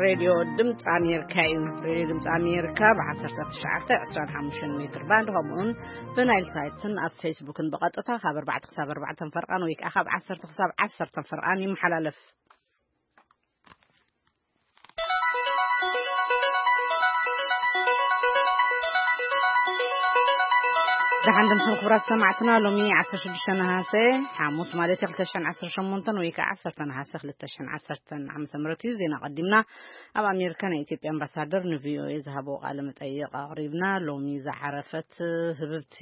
ሬድዮ ድምፂ ኣሜሪካ እዩ። ሬድዮ ድምፂ ኣሜሪካ ብ19፣ 25 ሜትር ባንድ፣ ከምኡውን ብናይል ሳይትን ኣብ ፌስቡክን ብቐጥታ ካብ ኣርባዕተ ክሳብ ኣርባዕተ ፈርቓን ወይ ከዓ ካብ ዓሰርተ ክሳብ ዓሰርተ ፈርቓን ይመሓላለፍ። ደሓን ድምፅን ክቡራት ሰማዕትና፣ ሎሚ 16 ነሃሰ፣ ሓሙስ ማለት እዩ፣ 2018 ወይ ከዓ 10 ነሃሰ 2010 ዓመተ ምህረት እዩ። ዜና ቀዲምና ኣብ ኣሜሪካ ናይ ኢትዮጵያ ኣምባሳደር ንቪኦኤ ዝሃቦ ቃለ መጠይቕ ኣቕሪብና። ሎሚ ዝዓረፈት ህብብቲ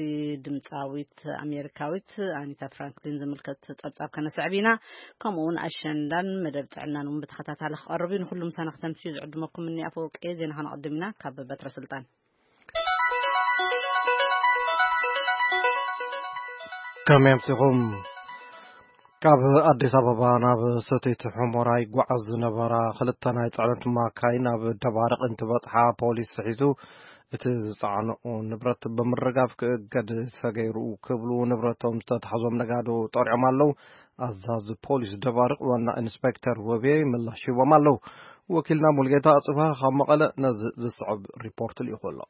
ድምፃዊት ኣሜሪካዊት ኣኒታ ፍራንክሊን ዝምልከት ጸብጻብ ከነስዕብ ኢና። ከምኡ እውን ኣሸንዳን መደብ ጥዕናን እውን ብተኸታታሊ ክቐርብ እዩ። ንኹሉ ምሳና ክተምስዩ ዝዕድመኩም እኒ ኣፈወርቂ። ዜና ከነቐድም ኢና። ካብ በትረ ስልጣን። ከመይ ኣምሲኹም? ካብ ኣዲስ ኣበባ ናብ ሰቲት ሑመራ ይጓዓዝ ዝነበራ ክልተ ናይ ጽዕነት ማካይን ኣብ ደባርቕ እንትበጽሓ፣ ፖሊስ ሒዙ እቲ ዝጸዓንኦ ንብረት ብምርጋፍ ክእገድ ተገይሩ ክብሉ ንብረቶም ዝተታሕዞም ነጋዶ ጠሪዖም ኣለዉ። ኣዛዚ ፖሊስ ደባርቕ ዋና ኢንስፔክተር ወቤ ምላሽ ሂቦም ኣለዉ። ወኪልና ሙልጌታ ኣጽብሃ ካብ መቐለ ነዚ ዝስዕብ ሪፖርት ልኢኹ ኣሎ።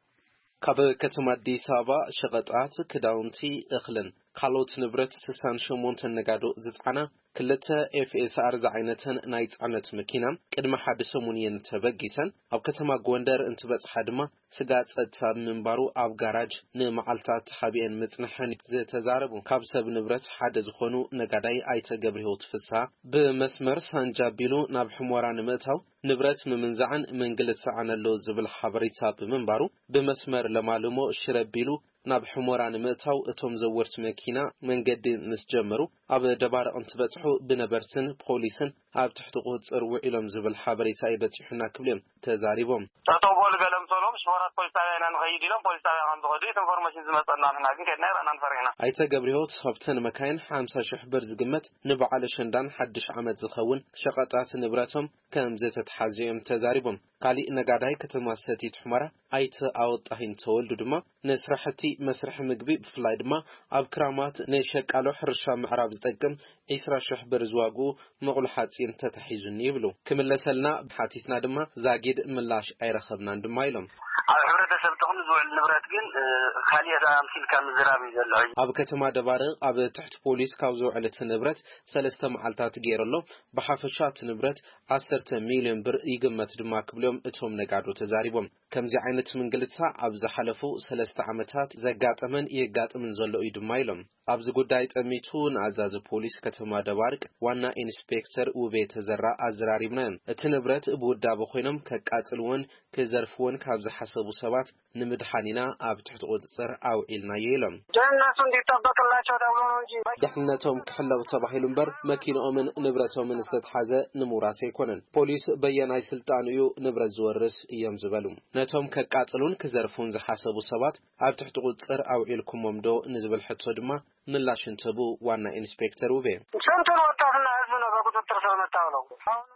ካብ ከተማ ኣዲስ ኣበባ ሸቐጣት፣ ክዳውንቲ፣ እኽልን ካልኦት ንብረት 68 ነጋዶ ዝጸዓና ክልተ ኤፍ ኤስ ኣር ዝዓይነተን ናይ ጽዕነት መኪና ቅድሚ ሓደ ሰሙን እየን ተበጊሰን። ኣብ ከተማ ጎንደር እንትበጽሓ ድማ ስጋት ጸጥታ ብምንባሩ ኣብ ጋራጅ ንመዓልታት ተሓቢአን ምጽንሐን ዝተዛረቡ ካብ ሰብ ንብረት ሓደ ዝኾኑ ነጋዳይ ኣይተ ገብረህይወት ፍስሃ፣ ብመስመር ሳንጃ ኣቢሉ ናብ ሕሞራ ንምእታው ንብረት ምምንዛዕን ምንግልታዕን ኣሎ ዝብል ሓበሬታ ብምንባሩ፣ ብመስመር ለማልሞ ሽረ ኣቢሉ ናብ ሕሞራ ንምእታው እቶም ዘወርቲ መኪና መንገዲ ምስ ጀመሩ፣ ኣብ ደባርቕ እንትበጽሑ ብነበርትን ፖሊስን ኣብ ትሕቲ ቁጽጽር ውዒሎም ዝብል ሓበሬታ እዩ በጺሑና ክብሉ እዮም ተዛሪቦም። ጠጠው በሉ ገለ ምስ በሎም፣ ሽፈራት ፖሊስ ጣብያ ኢና ንኸይድ ኢሎም ፖሊስ ጣብያ ከም ዝኸዱ ኢንፎርሜሽን ዝመጸና፣ ንሕና ግን ከድና ኣይረኣናን፣ ፈሪሕና። ኣይተ ገብረህይወት፣ ካብተን መካይን ሓምሳ ሽሕ ብር ዝግመት ንበዓል ኣሸንዳን ሓድሽ ዓመት ዝኸውን ሸቐጣት ንብረቶም ከም ዝተትሓዙ እዮም ተዛሪቦም። ካሊእ ነጋዳይ ከተማ ሰቲት ሑመራ ኣይተ ኣወጣሂን ተወልዱ ድማ፣ ንስራሕቲ መስርሒ ምግቢ፣ ብፍላይ ድማ ኣብ ክራማት ንሸቃሎ ሕርሻ ምዕራብ ዝጠቅም 20 ሺሕ ብር ዝዋግኡ መቑሎ ሓፂን ተታሒዙኒ ይብሉ። ክምለሰልና ሓቲትና ድማ ዛጊድ ምላሽ ኣይረኸብናን ድማ ኢሎም። ኣብ ሕብረተሰብ ጥቕሚ ዝውዕል ንብረት ግን፣ እ፣ ካሊእ ኣምሲልካ ምዝራብ እዩ ዘሎ። ኣብ ከተማ ደባርቕ ኣብ ትሕቲ ፖሊስ ካብ ዝውዕል እቲ ንብረት ሰለስተ መዓልታት ገይሩ ኣሎ። ብሓፈሻ እቲ ንብረት 10 ሚልዮን ብር ይግመት ድማ ክብሎም እቶም ነጋዶ ተዛሪቦም። ከምዚ ዓይነት ምንግልታ ኣብ ዝሓለፉ ሰለስተ ዓመታት ዘጋጠመን የጋጥምን ዘሎ እዩ ድማ ኢሎም። ኣብዚ ጉዳይ ጠሚቱ ንኣዛዚ ፖሊስ ከተማ ደባርቅ ዋና ኢንስፔክተር ውቤ ተዘራ ኣዘራሪብናዮም። እቲ ንብረት ብውዳበ ኮይኖም ከቃጽልዎን ክዘርፍዎን ካብ ዝሓሰቡ ሰባት ንምድሓን ኢና ኣብ ትሕቲ ቁጽጽር ኣውዒልናዮ ኢሎም። ደህንነቱ እንዲጠበቅላቸው ተብሎ ነው እንጂ። ድሕነቶም ክሕለዉ ተባሂሉ እምበር መኪንኦምን ንብረቶምን ዝተትሓዘ ንምውራስ ኣይኮነን። ፖሊስ በየናይ ስልጣን እዩ ንብረት ዝወርስ እዮም ዝበሉ። ነቶም ከቃጽሉን ክዘርፉን ዝሓሰቡ ሰባት ኣብ ትሕቲ ቁጽጽር ኣውዒልኩሞም ዶ ንዝብል ሕቶ ድማ ምላሽ እንትህቡ ዋና ኢንስፔክተር ውቤ፣ ስንቱን ወጣትና ህዝብ ነው በቁጥጥር ስር መታውለው።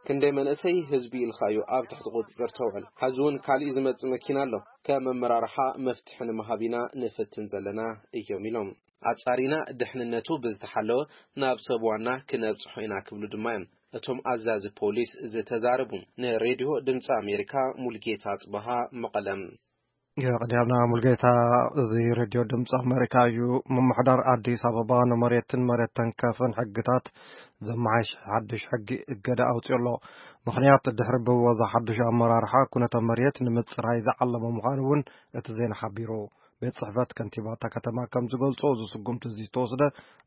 ክንደይ መንእሰይ ህዝቢ ኢልካ እዩ ኣብ ትሕቲ ቁጽጽር ተውዕል። ሐዚ እውን ካሊእ ዝመጽእ መኪና ኣሎ። ከም ኣመራርሓ መፍትሒ ንምሃብ ኢና ንፍትን ዘለና እዮም ኢሎም። ኣጻሪና ድሕንነቱ ብዝተሓለወ ናብ ሰብ ዋና ክነብጽሖ ኢና ክብሉ ድማ እዮም እቶም ኣዛዚ ፖሊስ ዝተዛረቡ። ንሬድዮ ድምፂ ኣሜሪካ ሙልጌታ ኣጽበሃ መቐለም። የቐዲያና ሙልጌታ። እዚ ሬድዮ ድምፂ ኣሜሪካ እዩ። ምምሕዳር ኣዲስ ኣበባ ንመሬትን መሬት ተንከፍን ሕግታት ዘመሓይሽ ሓድሽ ሕጊ እገዳ ኣውፅኡ ኣሎ። ምኽንያት ድሕሪ ብወዛ ሓድሽ ኣመራርሓ ኩነተ መሬት ንምፅራይ ዝዓለመ ምዃኑ እውን እቲ ዜና ሓቢሩ። ቤት ጽሕፈት ከንቲባ እታ ከተማ ከም ዝገልጾ፣ እዚ ስጉምቲ እዚ ዝተወስደ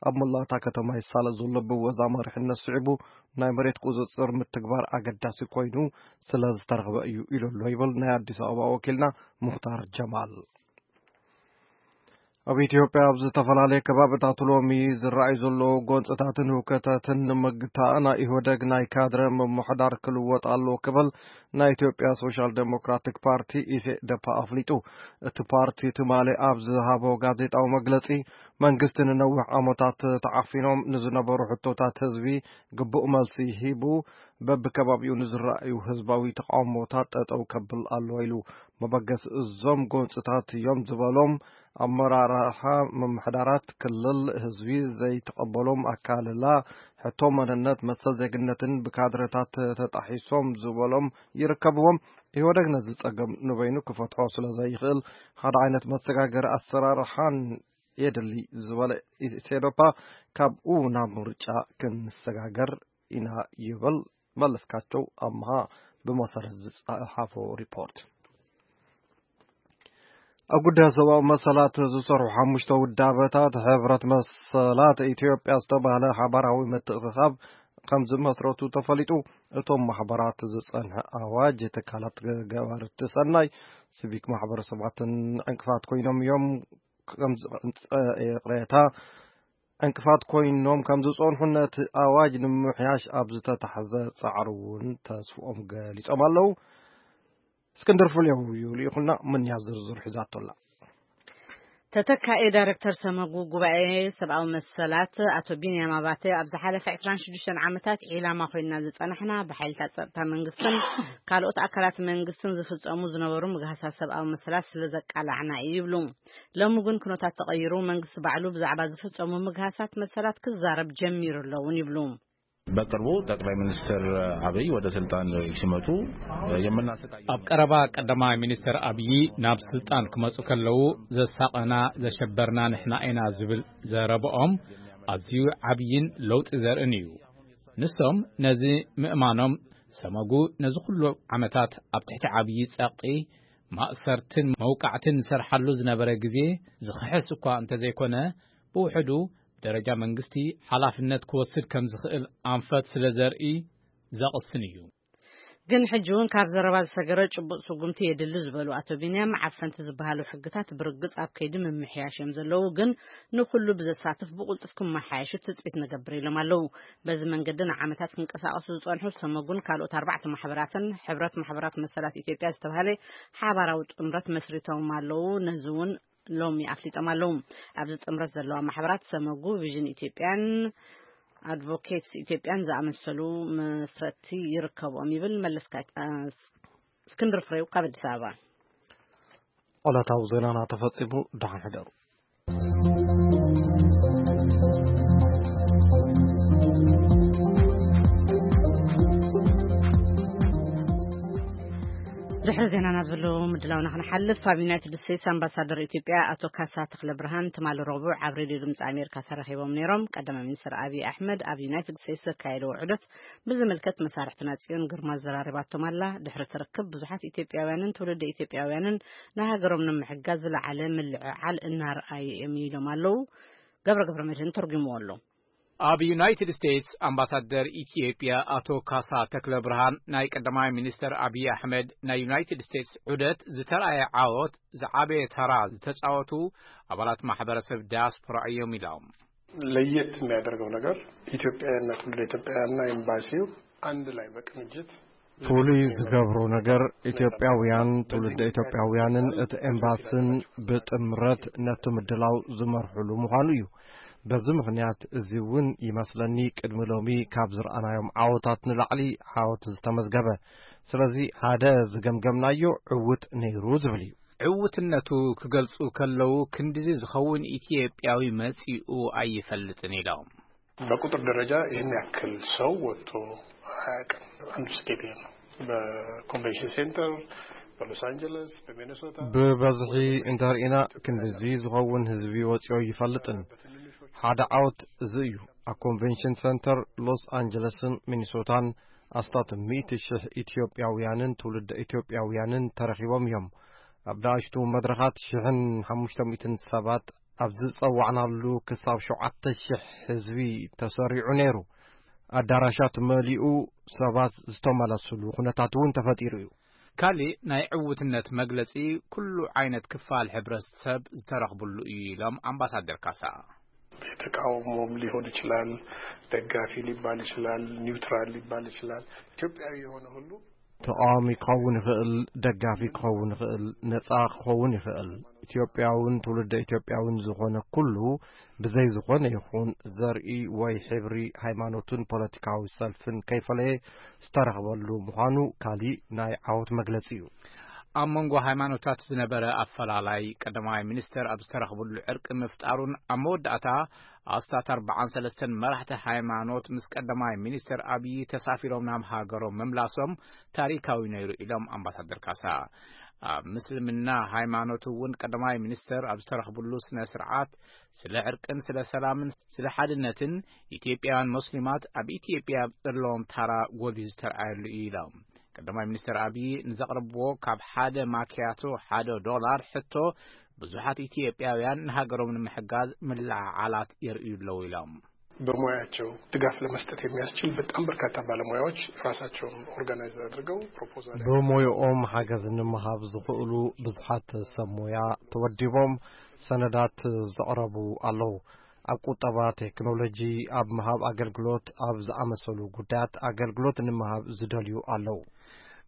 ኣብ መላእ እታ ከተማ ይሳለጥ ዘሎ ብወዛ መሪሕነት ስዒቡ ናይ መሬት ቁጽጽር ምትግባር ኣገዳሲ ኮይኑ ስለ ዝተረኽበ እዩ ኢሉ ኣሎ ይብል ናይ ኣዲስ ኣበባ ወኪልና ሙኽታር ጀማል። ኣብ ኢትዮጵያ ኣብ ዝተፈላለየ ከባብታት ሎሚ ዝረኣዩ ዘለዉ ጎንጽታትን ህውከታትን ንምግታእ ናይ ኢህወደግ ናይ ካድረ ምምሕዳር ክልወጥ ኣለዎ ክብል ናይ ኢትዮጵያ ሶሻል ዴሞክራቲክ ፓርቲ ኢሴደፓ ኣፍሊጡ። እቲ ፓርቲ ትማሊ ኣብ ዝሃቦ ጋዜጣዊ መግለጺ፣ መንግስቲ ንነዊሕ ዓመታት ተዓፊኖም ንዝነበሩ ሕቶታት ህዝቢ ግቡእ መልሲ ሂቡ፣ በብከባቢኡ ንዝረኣዩ ህዝባዊ ተቃውሞታት ጠጠው ከብል ኣለዎ ኢሉ። መበገሲ እዞም ጎንፅታት እዮም ዝበሎም ኣመራርሓ ምምሕዳራት ክልል ህዝቢ ዘይተቐበሎም ኣካልላ ሕቶ መንነት፣ መሰል ዜግነትን ብካድረታት ተጣሒሶም ዝበሎም ይርከብዎም። ኢህወደግ ነዚ ጸገም ንበይኑ ክፈትሖ ስለ ዘይኽእል ሓደ ዓይነት መሰጋገሪ ኣሰራርሓን የድሊ ዝበለ ኢሴዶፓ፣ ካብኡ ናብ ምርጫ ክንሰጋገር ኢና ይብል መለስካቸው ኣምሃ ብመሰረት ዝጸሓፎ ሪፖርት። ኣብ ጉዳይ ሰብኣዊ መሰላት ዝሰርሑ ሓሙሽተ ውዳበታት ሕብረት መሰላት ኢትዮጵያ ዝተባህለ ሓባራዊ ምትእኽኻብ ከም ዝመስረቱ ተፈሊጡ። እቶም ማሕበራት ዝጸንሐ ኣዋጅ ትካላት ገባርቲ ሰናይ፣ ሲቪክ ማሕበረሰባትን ዕንቅፋት ኮይኖም እዮም። ከም ዝ-፣ ይቕሬታ፣ ዕንቅፋት ኮይኖም ከም ዝጸንሑ ነቲ ኣዋጅ ንምምሕያሽ ኣብ ዝተታሕዘ ጻዕሪ እውን ተስፍኦም ገሊጾም ኣለዉ። እስክንድር ፍሬው እዩ ልኢኹልና፣ ምንያ ዝርዝር ሒዛቶ ኣላ። ተተካኢ ዳይሬክተር ሰመጉ ጉባኤ ሰብኣዊ መሰላት ኣቶ ቢንያም ኣባተ፣ ኣብ ዝሓለፈ ዕስራን ሽዱሽተን ዓመታት ዒላማ ኮይና ዝጸናሕና ብሓይልታት ጸጥታ መንግስትን ካልኦት ኣካላት መንግስትን ዝፍጸሙ ዝነበሩ ምግሃሳት ሰብኣዊ መሰላት ስለ ዘቃላዕና እዩ ይብሉ። ሎሚ ግን ኩነታት ተቐይሩ፣ መንግስቲ ባዕሉ ብዛዕባ ዝፍጸሙ ምግሃሳት መሰላት ክዛረብ ጀሚሩ ኣሎ እውን ይብሉ። በቅርቡ ጠቅላይ ሚኒስትር አብይ ወደ ስልጣን ሲመጡ የምናሰቃየው ኣብ ቀረባ ቀዳማይ ሚኒስትር ኣብዪ ናብ ስልጣን ክመጹ ከለዉ፣ "ዘሳቐና፣ ዘሸበርና ንሕና ኢና" ዝብል ዘረብኦም ኣዝዩ ዓብይን ለውጢ ዘርእን እዩ። ንሶም ነዚ ምእማኖም፣ ሰመጉ ነዚ ኩሉ ዓመታት ኣብ ትሕቲ ዓብዪ ጸቕጢ፣ ማእሰርትን መውቃዕትን ዝሰርሓሉ ዝነበረ ግዜ ዝኽሕስ እኳ እንተዘይኮነ፣ ብውሕዱ ብደረጃ መንግስቲ ሓላፍነት ክወስድ ከም ዝኽእል ኣንፈት ስለ ዘርኢ ዘቕስን እዩ። ግን ሕጂ እውን ካብ ዘረባ ዝሰገረ ጭቡጥ ስጉምቲ የድሊ ዝበሉ ኣቶ ቢንያም፣ ዓፈንቲ ዝበሃሉ ሕግታት ብርግጽ ኣብ ከይዲ ምምሕያሽ እዮም ዘለዉ፣ ግን ንኹሉ ብዘሳትፍ ብቕልጡፍ ክመሓየሹ ትጽቢት ንገብር ኢሎም ኣለዉ። በዚ መንገዲ ንዓመታት ክንቀሳቐሱ ዝጸንሑ ሰመጉን ካልኦት ኣርባዕተ ማሕበራትን ሕብረት ማሕበራት መሰላት ኢትዮጵያ ዝተባህለ ሓባራዊ ጥምረት መስሪቶም ኣለዉ። ነዚ እውን ሎሚ ኣፍሊጦም ኣለዉ። ኣብዚ ጥምረት ዘለዋ ማሕበራት ሰመጉ፣ ቪዥን ኢትዮጵያን ኣድቮኬትስ ኢትዮጵያን ዝኣመሰሉ መስረትቲ ይርከብኦም ይብል መለስካ-፣ እ፣ እስክንድር ፍሬው ካብ ኣዲስ ኣበባ። ዕለታዊ ዜናና ተፈጺሙ። ደሓን ሕደሩ። ድሕሪ ዜናና ዘሎ ምድላውና ክንሓልፍ፣ ኣብ ዩናይትድ ስቴትስ ኣምባሳደር ኢትዮጵያ ኣቶ ካሳ ተኽለ ብርሃን ትማሊ ረቡዕ ኣብ ሬድዮ ድምፂ ኣሜሪካ ተራኺቦም ነይሮም። ቀዳማይ ሚኒስትር ኣብይ ኣሕመድ ኣብ ዩናይትድ ስቴትስ ዘካየድዎ ዑደት ብዝምልከት መሳርሕትና ጽዮን ግርማ ዘራሪባቶም ኣላ። ድሕሪ ትርክብ ብዙሓት ኢትዮጵያውያንን ትውልደ ኢትዮጵያውያንን ንሃገሮም ንምሕጋዝ ዝለዓለ ምልዕዓል እናርኣዩ እዮም ኢሎም ኣለዉ። ገብረ ገብረ መድህን ተርጉምዎ ኣሎ። ኣብ ዩናይትድ ስቴትስ ኣምባሳደር ኢትዮጵያ ኣቶ ካሳ ተክለ ብርሃን፣ ናይ ቀዳማይ ሚኒስተር ኣብይ ኣሕመድ ናይ ዩናይትድ ስቴትስ ዑደት ዝተርኣየ ዓወት ዝዓበየ ተራ ዝተጻወቱ ኣባላት ማሕበረሰብ ዳያስፖራ እዮም ኢሎም። ለየት የሚያደርገው ነገር ኢትዮጵያውያንና ትውልደ ኢትዮጵያውያንና ኤምባሲው አንድ ላይ በቅንጅት ፍሉይ ዝገብሮ ነገር ኢትዮጵያውያን ትውልደ ኢትዮጵያውያንን እቲ ኤምባስን ብጥምረት ነቲ ምድላው ዝመርሕሉ ምዃኑ እዩ። በዚ ምኽንያት እዚ እውን ይመስለኒ ቅድሚ ሎሚ ካብ ዝረኣናዮም ዓወታት ንላዕሊ ዓወት ዝተመዝገበ። ስለዚ ሓደ ዝገምገምናዮ ዕውት ነይሩ ዝብል እዩ። ዕውትነቱ ክገልጹ ከለዉ ክንድዚ ዝኸውን ኢትዮጵያዊ መጺኡ ኣይፈልጥን ኢሎም። በቁጥር ደረጃ ይህን ያክል ሰው ወጥቶ አያውቅም። አንዱ ስኬት ይሄ ነው። በኮንቬንሽን ሴንተር፣ በሎስ አንጀለስ፣ በሚኔሶታ ብበዝሒ እንተርኢና ክንድዚ ዝኸውን ህዝቢ ወፂኦ ይፈልጥን። ሓደ ዓወት እዚ እዩ። ኣብ ኮንቬንሽን ሴንተር ሎስ አንጀለስን ሚኒሶታን ኣስታት ሚእቲ ሽሕ ኢትዮጵያውያንን ትውልደ ኢትዮጵያውያንን ተረኺቦም እዮም። ኣብ ንኣሽቱ መድረኻት ሽሕን ሓሙሽተ ሚእትን ሰባት ኣብ ዝጸዋዕናሉ ክሳብ ሸውዓተ ሽሕ ህዝቢ ተሰሪዑ ነይሩ። ኣዳራሻት መሊኡ ሰባት ዝተመለስሉ ኩነታት እውን ተፈጢሩ እዩ። ካሊእ ናይ ዕውትነት መግለጺ ኩሉ ዓይነት ክፋል ሕብረተሰብ ዝተረኽብሉ እዩ ኢሎም ኣምባሳደር ካሳ። ተቃውሞም ሊሆን ይችላል፣ ደጋፊ ሊባል ይችላል፣ ኒውትራል ሊባል ይችላል። ኢትዮጵያዊ የሆነ ሁሉ ተቃዋሚ ክኸውን ይኽእል፣ ደጋፊ ክኸውን ይኽእል፣ ነጻ ክኸውን ይኽእል። ኢትዮጵያውን ትውልደ ኢትዮጵያውን ዝኾነ ኩሉ ብዘይ ዝኾነ ይኹን ዘርኢ ወይ ሕብሪ፣ ሃይማኖትን ፖለቲካዊ ሰልፍን ከይፈለየ ዝተረኽበሉ ምዃኑ ካሊእ ናይ ዓወት መግለጺ እዩ። ኣብ መንጎ ሃይማኖታት ዝነበረ ኣፈላላይ ቀዳማይ ሚኒስተር ኣብ ዝተረኽብሉ ዕርቂ ምፍጣሩን ኣብ መወዳእታ ኣስታት ኣርባዓን ሰለስተን መራሕቲ ሃይማኖት ምስ ቀዳማይ ሚኒስተር ኣብዪ ተሳፊሮም ናብ ሃገሮም ምምላሶም ታሪካዊ ነይሩ ኢሎም ኣምባሳደር ካሳ። ኣብ ምስልምና ሃይማኖት እውን ቀዳማይ ሚኒስተር ኣብ ዝተረኽብሉ ስነ ስርዓት ስለ ዕርቅን ስለ ሰላምን ስለ ሓድነትን ኢትዮጵያውያን ሙስሊማት ኣብ ኢትዮጵያ ዘለዎም ታራ ጎልዩ ዝተርኣየሉ እዩ ኢሎም። ቀዳማይ ሚኒስተር ኣብዪ ንዘቕረብዎ ካብ ሓደ ማኪያቶ ሓደ ዶላር ሕቶ ብዙሓት ኢትዮጵያውያን ንሃገሮም ንምሕጋዝ ምልዕዓላት የርእዩ ኣለዉ ኢሎም። በሙያቸው ድጋፍ ለመስጠት የሚያስችል በጣም በርካታ ባለሙያዎች ራሳቸውን ኦርጋናይዝ አድርገው ፕሮፖዛል በሙያኦም ሓገዝ ንምሃብ ዝኽእሉ ብዙሓት ሰብ ሞያ ተወዲቦም ሰነዳት ዘቕረቡ ኣለዉ። ኣብ ቁጠባ፣ ቴክኖሎጂ፣ ኣብ ምሃብ ኣገልግሎት፣ ኣብ ዝኣመሰሉ ጉዳያት ኣገልግሎት ንምሃብ ዝደልዩ ኣለዉ።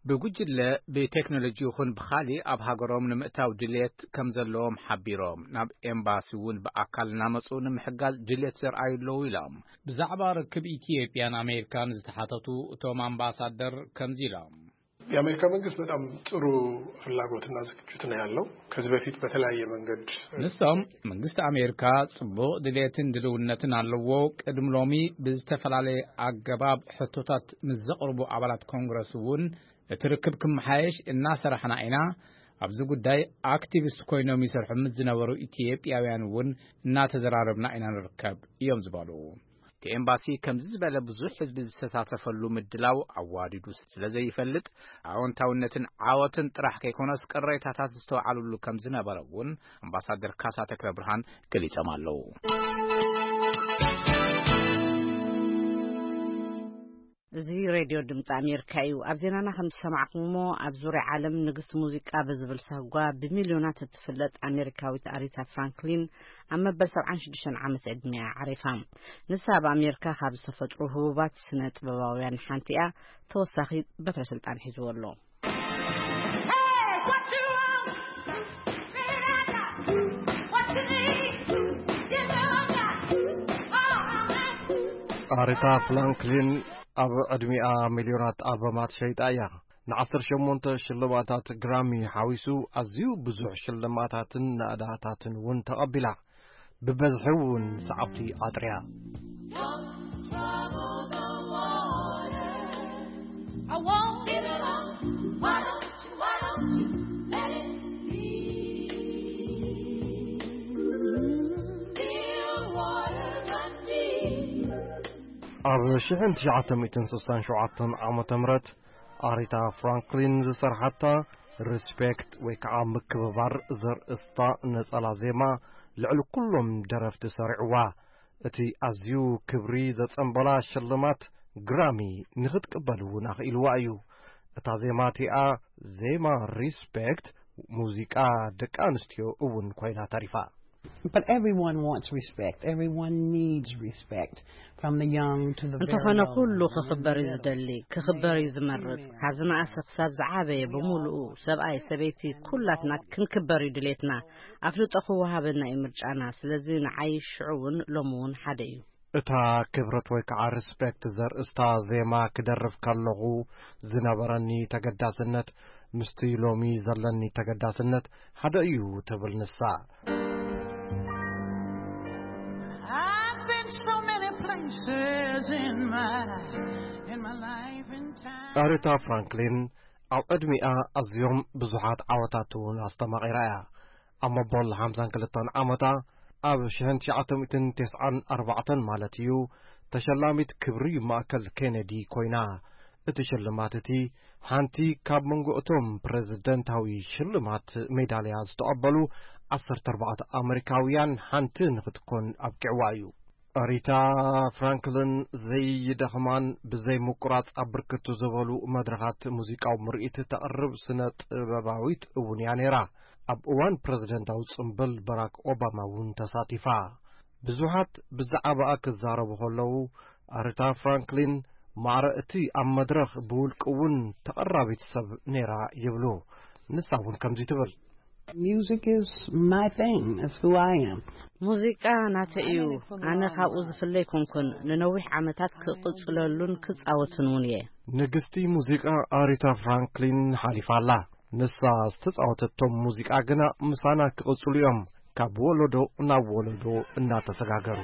ብጉጅለ ብቴክኖሎጂ ይኹን ብኻሊእ ኣብ ሃገሮም ንምእታው ድልየት ከም ዘለዎም ሓቢሮም፣ ናብ ኤምባሲ እውን ብኣካል እናመፁ ንምሕጋዝ ድልየት ዘርኣዩ ኣለዉ ኢሎም። ብዛዕባ ርክብ ኢትዮጵያን ኣሜሪካን ዝተሓተቱ እቶም ኣምባሳደር ከምዚ ኢሎም። የአሜሪካ መንግስት በጣም ጥሩ ፍላጎትና ዝግጅት ነው ያለው። ከዚህ በፊት በተለያየ መንገድ ንሶም መንግስቲ ኣሜሪካ ጽቡቕ ድሌትን ድልውነትን ኣለዎ። ቅድሚ ሎሚ ብዝተፈላለየ ኣገባብ ሕቶታት ምስ ዘቕርቡ ኣባላት ኮንግረስ እውን እቲ ርክብ ክመሓየሽ እናሰራሕና ኢና። ኣብዚ ጉዳይ ኣክቲቪስት ኮይኖም ይሰርሑ ምስ ዝነበሩ ኢትዮጵያውያን እውን እናተዘራረብና ኢና ንርከብ እዮም ዝበሉ። እቲ ኤምባሲ ከምዚ ዝበለ ብዙሕ ህዝቢ ዝሰታተፈሉ ምድላው ኣዋዲዱ ስለ ዘይፈልጥ ኣወንታውነትን ዓወትን ጥራሕ ከይኮነስ ቅሬታታት ዝተውዓሉሉ ከም ዝነበረ እውን ኣምባሳደር ካሳ ተክለ ብርሃን ገሊጾም ኣለዉ። እዚ ሬድዮ ድምፂ ኣሜሪካ እዩ። ኣብ ዜናና ከም ዝሰማዕኩሞ ኣብ ዙርያ ዓለም ንግስቲ ሙዚቃ ብዝብል ሳጓ ብሚልዮናት እትፍለጥ ኣሜሪካዊት ኣሪታ ፍራንክሊን ኣብ መበል ሰብዓን ሽዱሽተን ዓመት ዕድሚኣ ዓሪፋ። ንሳ ኣብ ኣሜሪካ ካብ ዝተፈጥሩ ህቡባት ስነ ጥበባውያን ሓንቲ እያ። ተወሳኺ በትረ ስልጣን ሒዝዎ ኣሎ። ኣሪታ ፍራንክሊን ኣብ ዕድሚኣ ሚልዮናት ኣልበማት ሸይጣ እያ። ንዓሰርተ ሸሞንተ ሽልማታት ግራሚ ሓዊሱ ኣዝዩ ብዙሕ ሽልማታትን ናእዳታትን እውን ተቐቢላ። ብበዝሒ እውን ሰዓብቲ ኣጥርያ። ኣብ ሽሕን ትሽዓተ ሚእትን ስሳን ሸውዓተን ዓመተ ምህረት ኣሪታ ፍራንክሊን ዝሰርሓታ ሪስፔክት ወይ ከዓ ምክብባር ዘርእስታ ነጸላ ዜማ ልዕሊ ኩሎም ደረፍቲ ሰሪዕዋ። እቲ ኣዝዩ ክብሪ ዘጸንበላ ሽልማት ግራሚ ንኽትቅበል እውን ኣኽኢልዋ እዩ። እታ ዜማ እቲኣ ዜማ ሪስፔክት ሙዚቃ ደቂ ኣንስትዮ እውን ኮይና ተሪፋ። But everyone wants respect. Everyone needs respect. From the young to the very እንተኾነ old. ኩሉ ክኽበር እዩ ዝደሊ፣ ክኽበር እዩ ዝመርጽ። ካብ ዝነኣሰ ክሳብ ዝዓበየ ብምሉኡ ሰብኣይ ሰበይቲ ኩላትና ክንክበር እዩ ድሌትና። ኣፍልጦ ክወሃበና እዩ ምርጫና። ስለዚ ንዓይ ሽዑ እውን ሎሚ እውን ሓደ እዩ። እታ ክብረት ወይ ከዓ ሪስፔክት ዘርእስታ ዜማ ክደርፍ ከለኹ ዝነበረኒ ተገዳስነት ምስቲ ሎሚ ዘለኒ ተገዳስነት ሓደ እዩ ትብል ንሳ። I've been so many places in my in my life and time. ኣሪታ ፍራንክሊን ኣብ ዕድሚኣ ኣዝዮም ብዙሓት ዓወታት እውን ኣስተማቒራ እያ። ኣብ መበል ሓምሳን ክልተን ዓመታ ኣብ ሽሕን ትሽዓተ ሚእትን ተስዓን ኣርባዕተን ማለት እዩ ተሸላሚት ክብሪ ማእከል ኬነዲ ኮይና። እቲ ሽልማት እቲ ሓንቲ ካብ መንጎ እቶም ፕሬዝደንታዊ ሽልማት ሜዳልያ ዝተቐበሉ ዓሰርተ ኣርባዕተ ኣመሪካውያን ሓንቲ ንኽትኮን ኣብቂዕዋ እዩ። ኣሪታ ፍራንክልን ዘይደኽማን ብዘይ ምቁራጽ ኣብ ብርክት ዝበሉ መድረኻት ሙዚቃዊ ምርኢት ተቕርብ ስነ ጥበባዊት እውን እያ ነይራ። ኣብ እዋን ፕረዚደንታዊ ጽምብል በራክ ኦባማ እውን ተሳቲፋ። ብዙሓት ብዛዕባኣ ክዛረቡ ከለዉ ኣሪታ ፍራንክሊን ማዕረ እቲ ኣብ መድረኽ ብውልቂ እውን ተቐራቢት ሰብ ነይራ ይብሉ። ንሳ እውን ከምዚ ትብል። Music is my thing. It's who I am. ሙዚቃ ናተይ እዩ። ኣነ ካብኡ ዝፍለ ኣይኮንኩን። ንነዊሕ ዓመታት ክቕጽለሉን ክጻወትን እውን እየ። ንግስቲ ሙዚቃ ኣሪታ ፍራንክሊን ሓሊፋ ኣላ። ንሳ ዝተጻወተቶም ሙዚቃ ግና ምሳና ክቕጽሉ እዮም፣ ካብ ወለዶ ናብ ወለዶ እናተሰጋገሩ።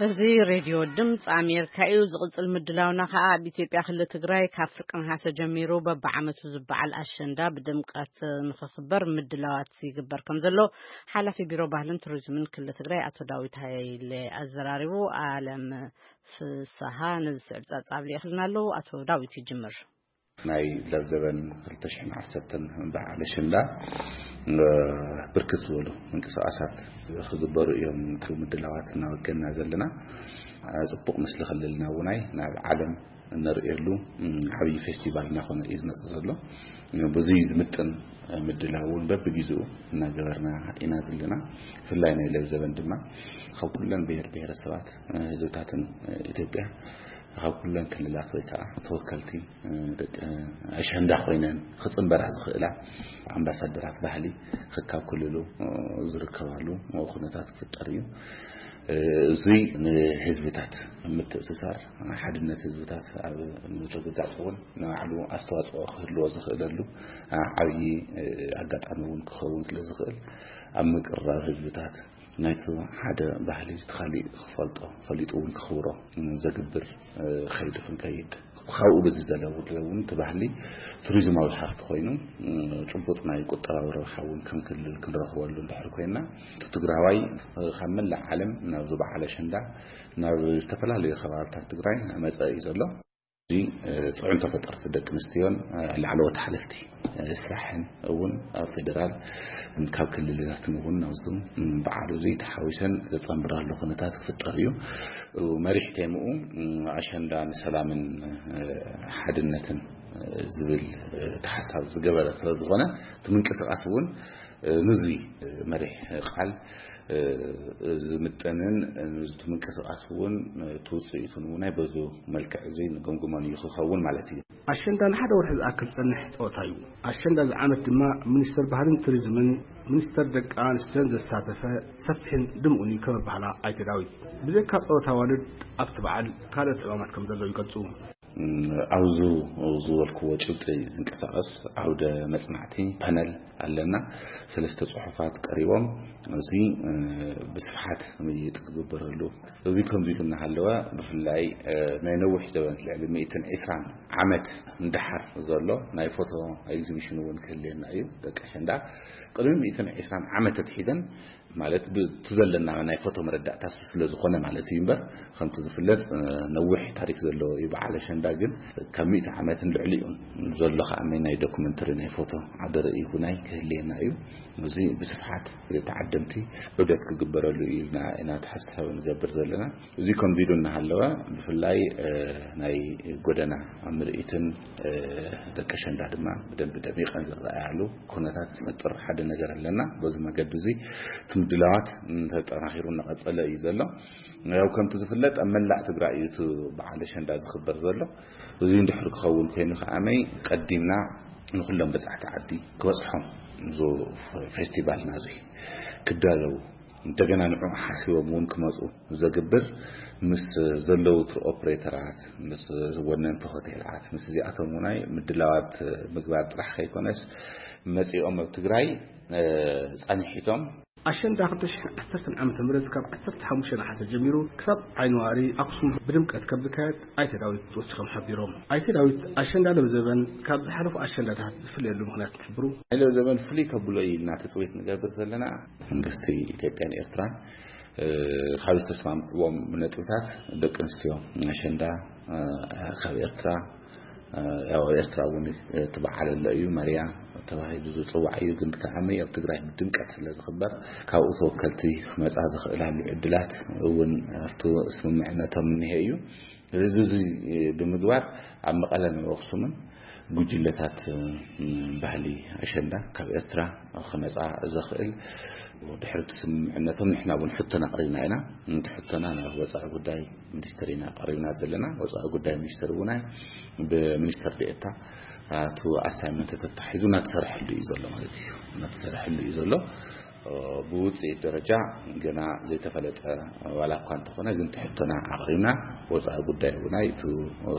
እዚ ሬድዮ ድምፂ ኣሜሪካ እዩ። ዝቕፅል ምድላውና ከዓ ኣብ ኢትዮጵያ ክልል ትግራይ ካብ ፍርቂ ነሓሰ ጀሚሩ በብዓመቱ ዝበዓል ኣሸንዳ ብድምቀት ንኽኽበር ምድላዋት ይግበር ከም ዘሎ ሓላፊ ቢሮ ባህልን ቱሪዝምን ክልል ትግራይ ኣቶ ዳዊት ሃይለ ኣዘራሪቡ። ኣለም ፍስሃ ነዚ ስዕብ ጸብጻብ ልኢኽልና ኣለዉ። ኣቶ ዳዊት ይጅምር። ናይ ለብዘበን ክልተ ሽሕን ዓሰርተን በዓል ኣሸንዳ፣ እ፣ ብርክት ዝበሉ ምንቅስቃሳት ክግበሩ እዮም። እቲ ምድላዋት እናወገና ዘለና፣ እ፣ ጽቡቕ ምስሊ ክልልና እውናይ ናብ ዓለም እነርእየሉ፣ እ፣ ዓብዪ ፌስቲቫል እናኾነ እዩ ዝመጽእ ዘሎ። ብዙይ ዝምጥን ምድላው እውን በብጊዜኡ እናገበርና ኢና ዘለና። ብፍላይ ናይ ለብዘበን ድማ ካብ ኩለን ብሔር ብሔረሰባት፣ እ፣ ህዝብታትን፣ እ፣ ኢትዮጵያ፣ ካብ ኩለን ክልላት ወይ ከዓ ተወከልቲ፣ እ፣ ደቂ ኣሸንዳ ኮይነን ክፅንበራ ዝኽእላ ኣምባሳደራት ባህሊ ከካብ ክልሉ፣ እ፣ ዝርከባሉ ኩነታት ክፍጠር እዩ። እ፣ እዙይ ንህዝብታት ምትእስሳር፣ ሓድነት ህዝብታት ኣብ ምርግጋፅ እውን ንባዕሉ ኣስተዋፅኦ ክህልዎ ዝኽእለሉ፣ እ፣ ዓብዪ፣ እ፣ ኣጋጣሚ እውን ክኸውን ስለ ዝኽእል ኣብ ምቅርራብ ህዝብታት ናይቲ ሓደ ባህሊ እቲ ካሊእ ክፈልጦ፣ ፈሊጡ እውን ክኽብሮ ዘግብር፣ እ፣ ከይዲ ክንከይድ፣ ካብኡ በዚ ዘለዉ እውን እቲ ባህሊ ቱሪዝማዊ ሃፍቲ ኮይኑ፣ እ፣ ጭቡጥ ናይ ቁጠባዊ ረብሓ እውን ከም ክልል ክንረኽበሉ እንድሕር ኮይና፣ እቲ ትግራዋይ፣ እ፣ ካብ መላእ ዓለም ናብዚ በዓል ኣሸንዳ ናብ ዝተፈላለዩ ከባብታት ትግራይ እናመፀ እዩ ዘሎ። እዚ፣ እ፣ ፅዕንቶ ፈጠርቲ ደቂ ኣንስትዮን፣ እ፣ ላዕለዎት ሓለፍቲ፣ እ፣ ስራሕን እውን ኣብ ፌደራል ካብ ክልልታትን እውን ናብዚ በዓል እዚ ተሓዊሰን ዘፀንብራሉ ኩነታት ክፍጠር እዩ። እ፣ መሪሕ ቴምኡ፣ እ፣ ኣሸንዳ ንሰላምን፣ እ፣ ሓድነትን፣ እ፣ ዝብል፣ እ፣ ተሓሳብ ዝገበረ ስለ ዝኾነ እቲ ምንቅስቃስ እውን፣ እ፣ ንዚ፣ እ፣ መሪሕ ቃል፣ እ፣ ዝምጥንን፣ እ፣ ንዚ ምንቅስቃስ እውን፣ እ፣ እቲ ውፅኢቱን እውን ናይ በዙ መልክዕ እዚ ንግምግሞን እዩ ክኸውን ማለት እዩ። ኣሸንዳ ንሓደ ወርሒ ዝኣክል ዝጸንሕ ጸወታ እዩ። ኣሸንዳ እዚ ዓመት ድማ ሚኒስተር ባህልን ቱሪዝምን ሚኒስተር ደቂ ኣንስትዮን ዘሳተፈ ሰፊሕን ድምኡን እዩ ከም ኣባህላ ኣይተ ዳዊት። ብዘይካ ጸወታ ኣዋልድ ኣብቲ በዓል ካልኦት ዕማማት ከም ዘለዉ ይገልጹ። እም፣ ኣብዚ ዝበልክዎ ጭብጢ ዝንቀሳቐስ ዓውደ መጽናዕቲ ፓነል ኣለና። ሰለስተ ጽሑፋት ቀሪቦም፣ እዚ፣ እ፣ ብስፍሓት ምይይጥ ክግበረሉ። እዚ ከምዚ ኢሉ እናሃለወ፣ ብፍላይ፣ እ፣ ናይ ነዊሕ ዘበን ልዕሊ ሚእትን ዕስራን ዓመት ንደሓር ዘሎ ናይ ፎቶ ኤግዚቢሽን እውን ክህልየና እዩ። ደቂ ኣሸንዳ ቅድሚ ሚእትን ዕስራን ዓመት ኣትሒዘን ማለት፣ ብቲ ዘለና ናይ ፎቶ መረዳእታ ስለ ዝኾነ ማለት እዩ እምበር፣ ከምቲ ዝፍለጥ፣ እ፣ ነዊሕ ታሪክ ዘለዎ እዩ በዓል ኣሸንዳ። ግን ካብ ሚእቲ ዓመትን ልዕሊኡን ዘሎ ከዓ ናይ ዶክመንተሪ ናይ ፎቶ ዓውደ ርእይ እውን ክህልየና እዩ። እዚ ብስፍሓት ተዓደምቲ ዑደት ክግበረሉ እዩ ኢልና ኢና ተሓሳቢ ንገብር ዘለና። እዚ ከምዚ ኢሉ እናሃለወ፣ ብፍላይ፣ እ፣ ናይ ጎደና ምርኢትን፣ እ፣ ደቂ ኣሸንዳ ድማ ብደንቢ ደሚቐን ዝረኣያሉ ኩነታት ዝፈጥር ሓደ ነገር ኣለና። በዚ መገዲ እዚ እቲ ምድላዋት፣ ም፣ ተጠናኺሩ እናቐጸለ እዩ ዘሎ። ያው ከምቲ ዝፍለጥ ኣብ መላእ ትግራይ እዩ እቲ በዓል ኣሸንዳ ዝኽበር ዘሎ። እዚ እንድሕር ክኸውን ኮይኑ ከዓመይ ቀዲምና ንኹሎም በጻሕቲ ዓዲ ክበጽሖም፣ እዚ ፌስቲቫልና እዚ ክዳለዉ፣ እንደገና ንዕኡ ሓሲቦም እውን ክመጹ ዘግብር፣ ምስ ዘለዉ ቱር ኦፕሬተራት፣ ምስ ወነንቲ ሆቴላት፣ ምስ እዚኣቶም ውናይ ምድላዋት ምግባር ጥራሕ ከይኮነስ፣ መጺኦም ኣብ ትግራይ፣ እ፣ ጸኒሒቶም። ኣሸንዳ ክልተ ሽሕን ዓሰርተን ዓመተ ምህረት ካብ ዓሰርተ ሓሙሽተ ነሓሰ ጀሚሩ ክሳብ ዓይኒ ዋሪ ኣክሱም ብድምቀት ከም ዝካየድ ኣይተ ዳዊት ወሲኾም ሓቢሮም። ኣይተ ዳዊት፣ ኣሸንዳ ለብዘበን ካብ ዝሓለፉ ኣሸንዳታት ዝፍለየሉ ምኽንያት እንትሕብሩ፣ ናይ ለብዘበን ፍሉይ ከብሎ እዩ ኢልና ትጽቢት ንገብር ዘለና። መንግስቲ ኢትዮጵያን ኤርትራን፣ እ፣ ካብ ዝተስማምዕዎም ነጥብታት፣ ደቂ ኣንስትዮ ኣሸንዳ፣ እ፣ ካብ ኤርትራ፣ እ፣ ያው ኣብ ኤርትራ እውን እቲ በዓል ኣሎ እዩ፣ መርያ ተባሂሉ ዝጽዋዕ እዩ። ግን ከዓመይ ኣብ ትግራይ ብድምቀት ስለ ዝኽበር፣ ካብኡ ተወከልቲ ክመጻ ዝኽእላሉ ዕድላት እውን ኣብቲ ስምምዕነቶም እኒሀ እዩ። እዚ፣ እዚ ብምግባር ኣብ መቐለን ኣብ ኣኽሱምን ጉጅለታት፣ እ፣ ባህሊ ኣሸንዳ ካብ ኤርትራ ክመጻ ዘኽእል፣ ድሕሪ እቲ ስምምዕነቶም ንሕና እውን ሕቶና ኣቕሪብና ኢና። እቲ ሕቶና ናብ ወጻኢ ጉዳይ ሚኒስተር ኢና ኣቕሪብና ዘለና። ወጻኢ ጉዳይ ሚኒስተር እውን ብሚኒስተር ዴኤታ እቲ ኣሳይመንት ተታሒዙ እናተሰርሐሉ እዩ ዘሎ ማለት እዩ። እናተሰርሐሉ እዩ ዘሎ። ብውፅኢት ደረጃ ገና ዘይተፈለጠ ዋላ እኳ እንተኾነ፣ ግን እቲ ሕቶና ኣቕሪብና፣ ወፃኢ ጉዳይ እውን እቲ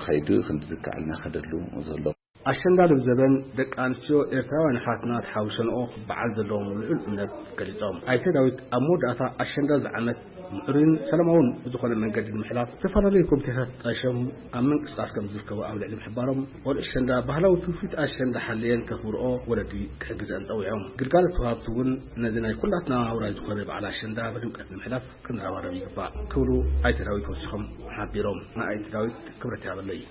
ከይዲ ክንዲ ዝከኣልና ከደሉ ዘሎ። ኣሸንዳ ልብዘበን ደቂ ኣንስትዮ ኤርትራውያን ኣሕዋትና ተሓዊሰንኦ ክበዓል ዘለዎም ልዑል እምነት ገሊጾም። ኣይተ ዳዊት ኣብ መወዳእታ ኣሸንዳ እዚ ዓመት ምዕሩይን ሰላማውን ብዝኾነ መንገዲ ንምሕላፍ ዝተፈላለዩ ኮሚቴታት ጣይሾም ኣብ ምንቅስቃስ ከም ዝርከቡ ኣብ ልዕሊ ምሕባሮም፣ ቆልዑ ኣሸንዳ ባህላዊ ትውፊት ኣሸንዳ ሓልየን ከኽብርኦ ወለዲ ክሕግዘን ጸዊዖም። ግልጋሎት ወሃብቲ እውን ነዚ ናይ ኩላትና ውራይ ዝኾነ በዓል ኣሸንዳ ብድምቀት ንምሕላፍ ክንረባረብ ይግባእ ክብሉ ኣይተ ዳዊት ወሲኾም ሓቢሮም። ንኣይተ ዳዊት ክብረት ይሃበለይ።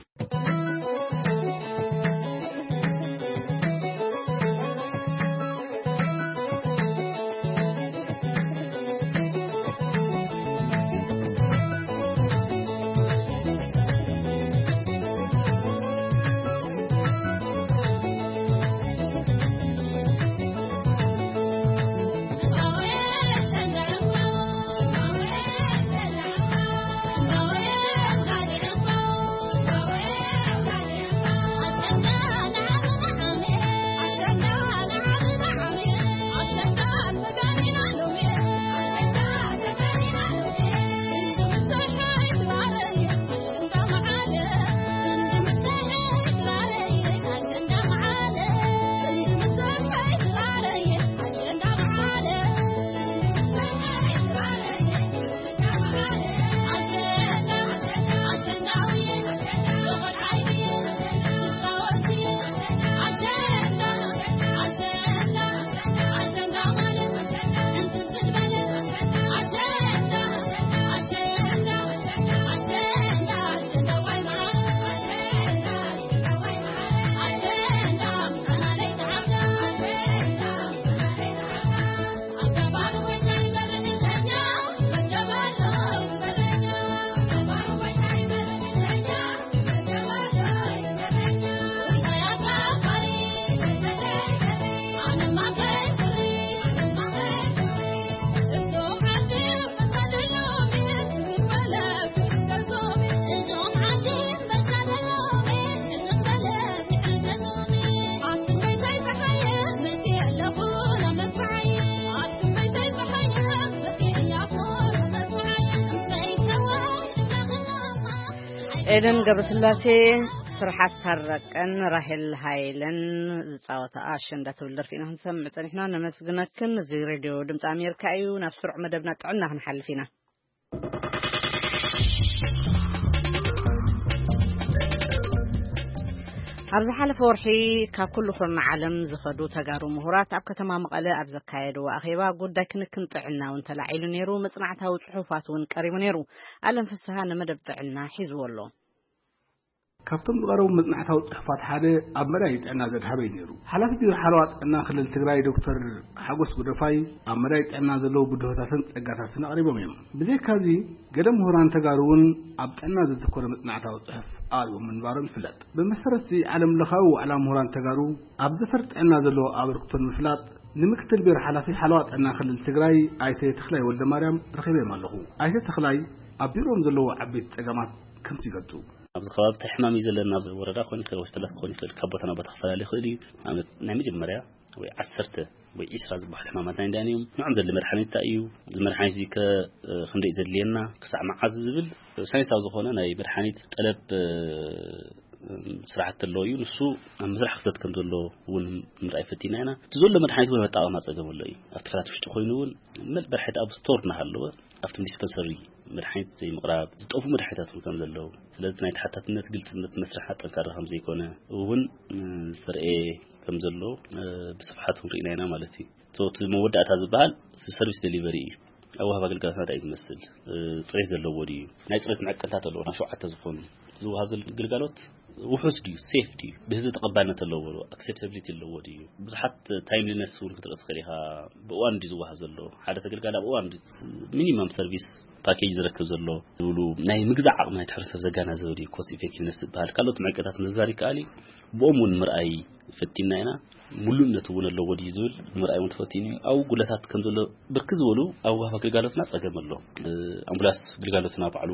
ኤደን ገብረስላሴ፣ ፍርሓት ታረቀን፣ ራሄል ሃይለን ዝጻወታ ኣሸንዳ ትብል ደርፊ ኢና ክንሰምዕ ጸኒሕና። ነመስግነክን። እዚ ሬድዮ ድምፂ ኣሜሪካ እዩ። ናብ ስሩዕ መደብና ጥዕና ክንሓልፍ ኢና። ኣብ ዝሓለፈ ወርሒ ካብ ኩሉ ኩርናዕ ዓለም ዝኸዱ ተጋሩ ምሁራት ኣብ ከተማ መቐለ ኣብ ዘካየድዎ ኣኼባ ጉዳይ ክንክን ጥዕና እውን ተላዒሉ ነይሩ። መጽናዕታዊ ጽሑፋት እውን ቀሪቡ ነይሩ። ኣለም ፍስሃ ንመደብ ጥዕና ሒዝዎ ኣሎ። ካብቶም ዝቐረቡ መጽናዕታዊ ጽሑፋት ሓደ ኣብ መዳይ ጥዕና ዘድሃበ እዩ ነይሩ። ሓላፊ ቢሮ ሓለዋ ጥዕና ክልል ትግራይ ዶክተር ሓጎስ ጉደፋይ ኣብ መዳይ ጥዕና ዘለዉ ብድሆታትን ጸጋታትን ኣቕሪቦም እዮም። ብዘይካዚ ገለ ምሁራን ተጋሩ እውን ኣብ ጥዕና ዘተኮረ መጽናዕታዊ ጽሑፍ ኣቕሪቦም ምንባሮም ይፍለጥ። ብመሰረት እዚ ዓለም ለኻዊ ዋዕላ ምሁራን ተጋሩ ኣብ ዘፈር ጥዕና ዘለዎ ኣበርክቶ ንምፍላጥ ንምክትል ቢሮ ሓላፊ ሓለዋ ጥዕና ክልል ትግራይ ኣይተ ተኽላይ ወልደ ማርያም ረኺበዮም ኣለኹ። ኣይተ ተኽላይ ኣብ ቢሮኦም ዘለዉ ዓበይቲ ጸገማት ከምዚ ይገልጹ። ኣብዚ ከባቢ እንታይ ሕማም እዩ ዘለና፣ ኣብዚ ወረዳ ክኾን ይኽእል፣ ወሕተላት ክኾን ይኽእል፣ ካብ ቦታ ናብ ቦታ ክፈላለ ይኽእል እዩ። ንኣብነት ናይ መጀመርያ ወይ ዓሰርተ ወይ ዒስራ ዝበሃል ሕማማት ናይ እንዳን እዮም። ንዖም ዘድሊ መድሓኒት እንታይ እዩ፣ እዚ መድሓኒት እዚ ከ ክንደይ ዘድልየና፣ ክሳዕ መዓዝ ዝብል ሳይንሳዊ ዝኾነ ናይ መድሓኒት ጠለብ ስራሕቲ ኣለዎ እዩ። ንሱ ኣብ ምስራሕ ክፍተት ከም ዘሎ እውን ምርኣይ ፈቲና ኢና። እቲ ዘሎ መድሓኒት እውን ኣጠቓቕማ ጸገም ኣሎ እዩ። ኣብቲ ፍላት ውሽጢ ኮይኑ እውን መል መድሓኒት ኣብ ስቶር እናሃለወ ኣብቶም ዲስፐንሰሪ መድሓኒት ዘይምቕራብ፣ ዝጠፉ መድሓኒታት እውን ከም ዘለዉ፣ ስለዚ ናይ ተሓታትነት ግልጽነት መስርሕ ጠንካራ ከም ዘይኮነ እውን ዝተርኤ ከም ዘሎ ብስፍሓት ክንርኢ ኢና ማለት እዩ። እቲ መወዳእታ ዝበሃል ሰርቪስ ደሊቨሪ እዩ። ኣወሃብ ኣገልግሎትና እንታይ እዩ ዝመስል? ጽሬት ዘለዎ ድዩ? ናይ ጽሬት መዐቀንታት ኣለዎ፣ ሸውዓተ ዝኾኑ። ዝወሃብ ዘሎ ግልጋሎት ውሑስ ድዩ? ሴፍ ድዩ? ብህዝቢ ተቐባልነት ኣለዎ ዶ? ኣክሴፕታብሊቲ ኣለዎ ድዩ? ብዙሓት ታይምሊነስ እውን ክትርኢ ትኽእል ኢኻ። ብእዋን ድዩ ዝወሃብ ዘሎ? ሓደ ተገልጋሊ ኣብ እዋን ድዩ ሚኒማም ሰርቪስ ፓኬጅ ዝረክብ ዘሎ? ዝብሉ ናይ ምግዛእ ዓቕሚ ናይቲ ሕብረተሰብ ዘጋናዘበ ድዩ? ኮስት ኢፌክቲቭነስ ዝበሃል ካልኦት መዐቀንታት ምዝዛር ይከኣል እዩ። ብኦም እውን ምርኣይ ፈቲና ኢና። ሙሉእነት እውን ኣለዎ ድዩ ዝብል ምርኣይ እውን ተፈቲኑ እዩ። ኣብኡ ጉድለታት ከም ዘሎ ብርክት ዝበሉ ኣብ ወሃብ ኣገልጋሎትና ጸገም ኣሎ። ኣምቡላንስ ግልጋሎትና ባዕሉ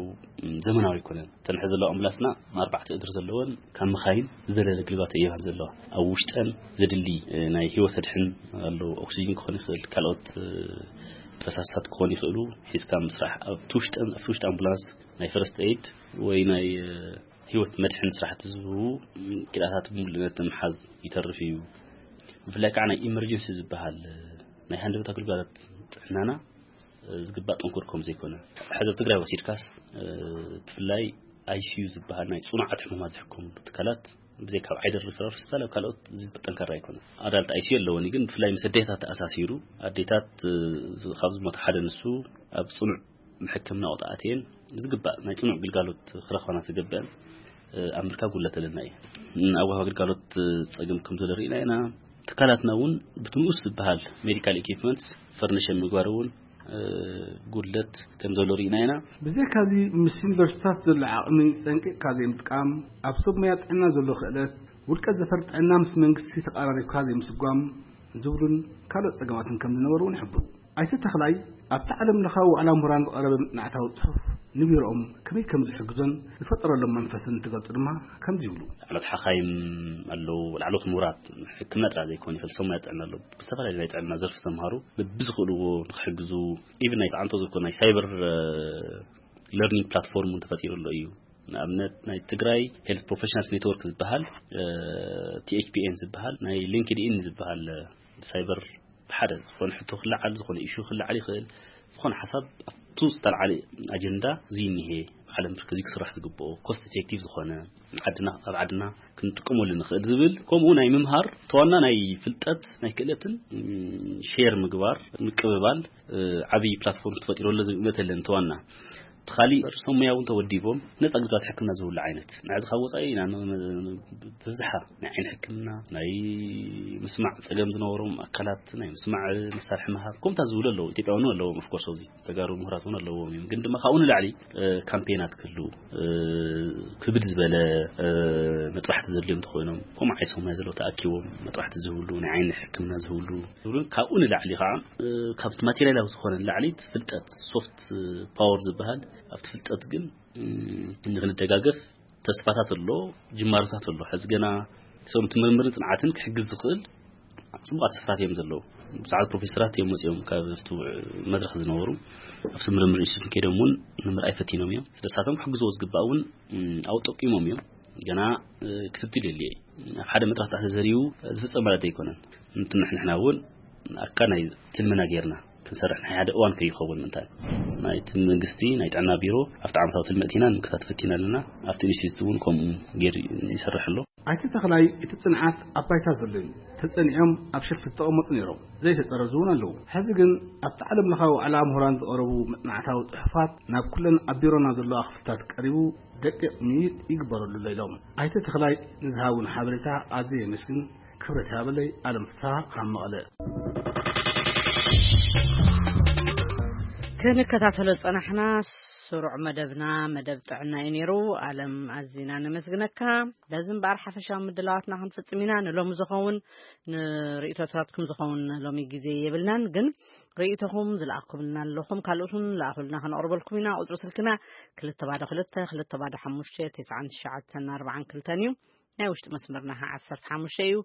ዘመናዊ ኣይኮነን። እተን ሕዚ ዘለዋ ኣምቡላንስና ኣርባዕተ እግሪ ዘለወን ካብ መኻይን ዝዘለለ ግልጋሎት እየን ዘለዋ። ኣብ ውሽጠን ዘድሊ ናይ ህይወት ኣድሕን ኣሎ። ኦክሲጅን ክኾን ይኽእል፣ ካልኦት ፈሳስታት ክኾን ይኽእሉ። ሒዝካ ምስራሕ ኣብቲ ውሽጠን፣ ኣብቲ ውሽጢ ኣምቡላንስ ናይ ፈረስት ኤድ ወይ ናይ ህይወት መድሕን ስራሕቲ ዝህቡ ክኢላታት ብምሉእነት ምሓዝ ይተርፍ እዩ። ብፍላይ ከዓ ናይ ኢመርጀንሲ ዝበሃል ናይ ሃንደበት ኣገልግሎት ጥዕናና ዝግባእ ጥንኩር ከም ዘይኮነ፣ ሕዚ ኣብ ትግራይ ወሲድካስ ብፍላይ ኣይሲዩ ዝበሃል ናይ ፅኑዓት ሕሙማት ዝሕከምሉ ትካላት ብዘይ ካብ ዓይደር ሪፈራል ሆስፒታል ኣብ ካልኦት ዝግባእ ጠንካራ ኣይኮነ። ኣዳልት ኣይሲዩ ኣለወን ግን ብፍላይ ምስ ኣዴታት ተኣሳሲሩ ኣዴታት ካብ ዝሞት ሓደ ንሱ ኣብ ፅኑዕ ሕክምና ቆጣኣትየን ዝግባእ ናይ ፅኑዕ ግልጋሎት ክረኽባና ዝገብአን ኣብ ምርካብ ጉለት ኣለና እዩ። ኣብ ወሃብ ኣገልጋሎት ፀገም ከም ዘሎ ርኢና ኢና። ትካላትና እውን ብትንኡስ ዝበሃል ሜዲካል ኢኪፕመንትስ ፈርኒሽ ኣብ ምግባር እውን ጉድለት ከም ዘሎ ርኢና ኢና። ብዘይካዚ ምስ ዩኒቨርሲታት ዘሎ ዓቕሚ ፀንቂቕካ ዘይምጥቃም፣ ኣብ ሰብ ሙያ ጥዕና ዘሎ ክእለት፣ ውልቀ ዘፈር ጥዕና ምስ መንግስቲ ተቐራሪብካ ዘይምስጓም ዝብሉን ካልኦት ፀገማትን ከም ዝነበሩ እውን ይሕብሩ። ኣይተ ተኽላይ ኣብቲ ዓለም ለኻዊ ዋዕላ ምሁራን ዝቐረበ መፅናዕታዊ ፅሑፍ ንቢሮኦም ከመይ ከም ዝሕግዞን ዝፈጠረሎም መንፈስን እንትገልፁ ድማ ከምዚ ይብሉ። ላዕሎት ሓኻይም ኣለዉ፣ ላዕሎት ምሁራት ሕክምና ጥራሕ ዘይኮነ ይፈልሰ ሙያ ጥዕና ኣለዉ። ብዝተፈላለዩ ናይ ጥዕና ዘርፊ ዝተምሃሩ ብዝኽእልዎ ንክሕግዙ ኢቭን ናይ ተዓንቶ ዝኾነ ናይ ሳይበር ለርኒንግ ፕላትፎርም እውን ተፈጢሩ ኣሎ እዩ። ንኣብነት ናይ ትግራይ ሄልት ፕሮፌሽናልስ ኔትወርክ ዝበሃል ቲኤችፒኤን ዝበሃል ናይ ሊንክድኢን ዝበሃል ሳይበር ሓደ ዝኾነ ሕቶ ክለዓል ዝኾነ ኢሹ ክለዓል ይኽእል። ዝኾነ ሓሳብ ኣብቱ ዝተለዓለ ኣጀንዳ እዚ እኒሄ ዓለም ብርክ እዚ ክስራሕ ዝግብኦ ኮስት ኢፌክቲቭ ዝኾነ ዓድና ኣብ ዓድና ክንጥቀመሉ ንኽእል ዝብል ከምኡ ናይ ምምሃር ተዋና ናይ ፍልጠት ናይ ክእለትን ሼር ምግባር ምቅብባል ዓብዪ ፕላትፎርም ተፈጢሩ ኣሎ ዝብል እምነት ኣለኒ። ተዋና እቲ ካሊእ ርእሶም ሙያ እውን ተወዲቦም ነፃ ግልጋሎት ሕክምና ዝህብሉ ዓይነት ንሕዚ ካብ ወፃኢ ኢና ን- ን- ብብዝሓ ናይ ዓይኒ ሕክምና ናይ ምስማዕ ፀገም ዝነበሮም ኣካላት ናይ ምስማዕ መሳርሒ ምሃብ ከምታ ዝብሉ ኣለዉ። ኢትዮጵያ እውን ኣለዎም ኦፍኮርስ ኣብዚ ተጋሩ ምሁራት እውን ኣለዎም እዮም። ግን ድማ ካብኡ ንላዕሊ ካምፔናት ክህልዉ ክብድ ዝበለ መጥባሕቲ ዘድልዮም ተኮይኖም ከምኡ ዓይሶም ናይ ዘለዉ ተኣኪቦም መጥባሕቲ ዝህብሉ ናይ ዓይኒ ሕክምና ዝህብሉ ዝብሉን ካብኡ ንላዕሊ ከዓ ካብቲ ማቴሪያላዊ ዝኾነ ንላዕሊ ፍልጠት ሶፍት ፓወር ዝበሃል ኣብቲ ፍልጠት ግን ክንደጋገፍ ተስፋታት ኣሎ፣ ጅማሮታት ኣሎ። ሕዚ ገና ሰው ምርምርን ፅንዓትን ክሕግዝ ዝኽእል ፅቡቃት ስፍራት እዮም ዘለዉ። ብዙሓት ፕሮፌሰራት እዮም መፅኦም ካብ ኣብቲ መድረክ ዝነበሩ ኣብቲ ምርምር ኢንስቲቱት ከይዶም እውን ንምርኣይ ፈቲኖም እዮም። ስለሳቶም ክሕግዝዎ ዝግባእ እውን ኣብኡ ጠቂሞም እዮም። ገና ክትትል የድልየ ኣብ ሓደ መድረክ ተዘሪቡ ዝፍፀም ማለት ኣይኮነን። ንትንሕንሕና እውን ኣካ ናይ ትልምና ጌርና ክንሰርሕ ናይ ሓደ እዋን ከይኸውን ምንታይ ናይቲ መንግስቲ ናይ ጥዕና ቢሮ ኣብቲ ዓመታዊ ትልሚ እቲና ንምክታት ፈቲና ኣለና። ኣብቲ ኢንስቲትዩት እውን ከምኡ ገይሩ ይሰርሕ ኣሎ። ኣይተ ተኽላይ እቲ ፅንዓት ኣብ ባይታ ዘሎ እዩ። ተፀኒዖም ኣብ ሸልፍ ዝተቐመጡ ነይሮም ዘይተፀረዙ እውን ኣለዉ። ሕዚ ግን ኣብቲ ዓለም ለኻዊ ዋዕላ ምሁራን ዝቐረቡ መፅናዕታዊ ፅሑፋት ናብ ኩለን ኣብ ቢሮና ዘለዋ ክፍልታት ቀሪቡ ደቂቕ ምይይጥ ይግበረሉ ኣሎ ኢሎም ኣይተ ተኽላይ ንዝሃቡን ሓበሬታ ኣዝየ የመስግን። ክብረት ይሃበለይ። ኣለም ፍስሃ ካብ መቐለ። ክንከታተሎ ዝጸናሕና ስሩዕ መደብና መደብ ጥዕና እዩ ነይሩ። ኣለም ኣዚና ነመስግነካ። በዚ እምበኣር ሓፈሻዊ ምድላዋትና ክንፍጽም ኢና። ንሎሚ ዝኸውን ንርእይቶታትኩም ዝኸውን ሎሚ ግዜ የብልናን፣ ግን ርእይቶኹም ዝለኣኩምልና ኣለኹም ካልኦትን ለኣኹልና ከነቕርበልኩም ኢና። ቁጽሪ ስልክና ክልተ ባዶ ክልተ ክልተ ባዶ ሓሙሽተ ትስዓን ትሽዓተን ኣርባዓን ክልተን እዩ። ናይ ውሽጢ መስመርና ኸዓ ዓሰርተ ሓሙሽተ እዩ።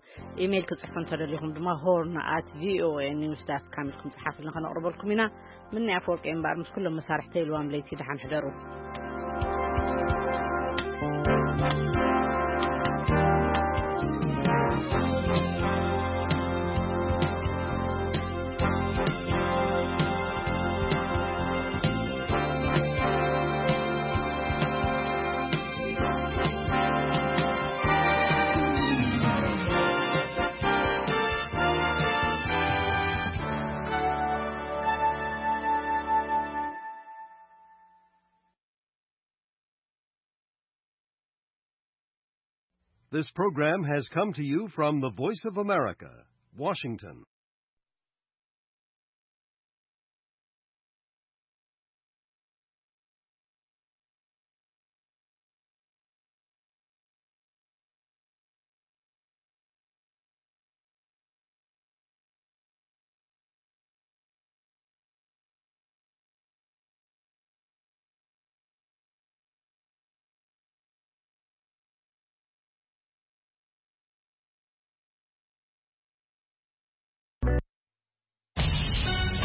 ኢሜይል ክጽሕፉ እንተደሊኹም ድማ ሆርን ኣት ቪኦኤ ኒውስ ዳት ካም ኢልኩም ጽሓፉልና፣ ከነቕርበልኩም ኢና። ምንያ ኣፈወርቂ እምበኣር ምስ ኩሎም መሳርሕተይ ኢልዋም ለይቲ ደሓን ሕደሩ። This program has come to you from the Voice of America, Washington.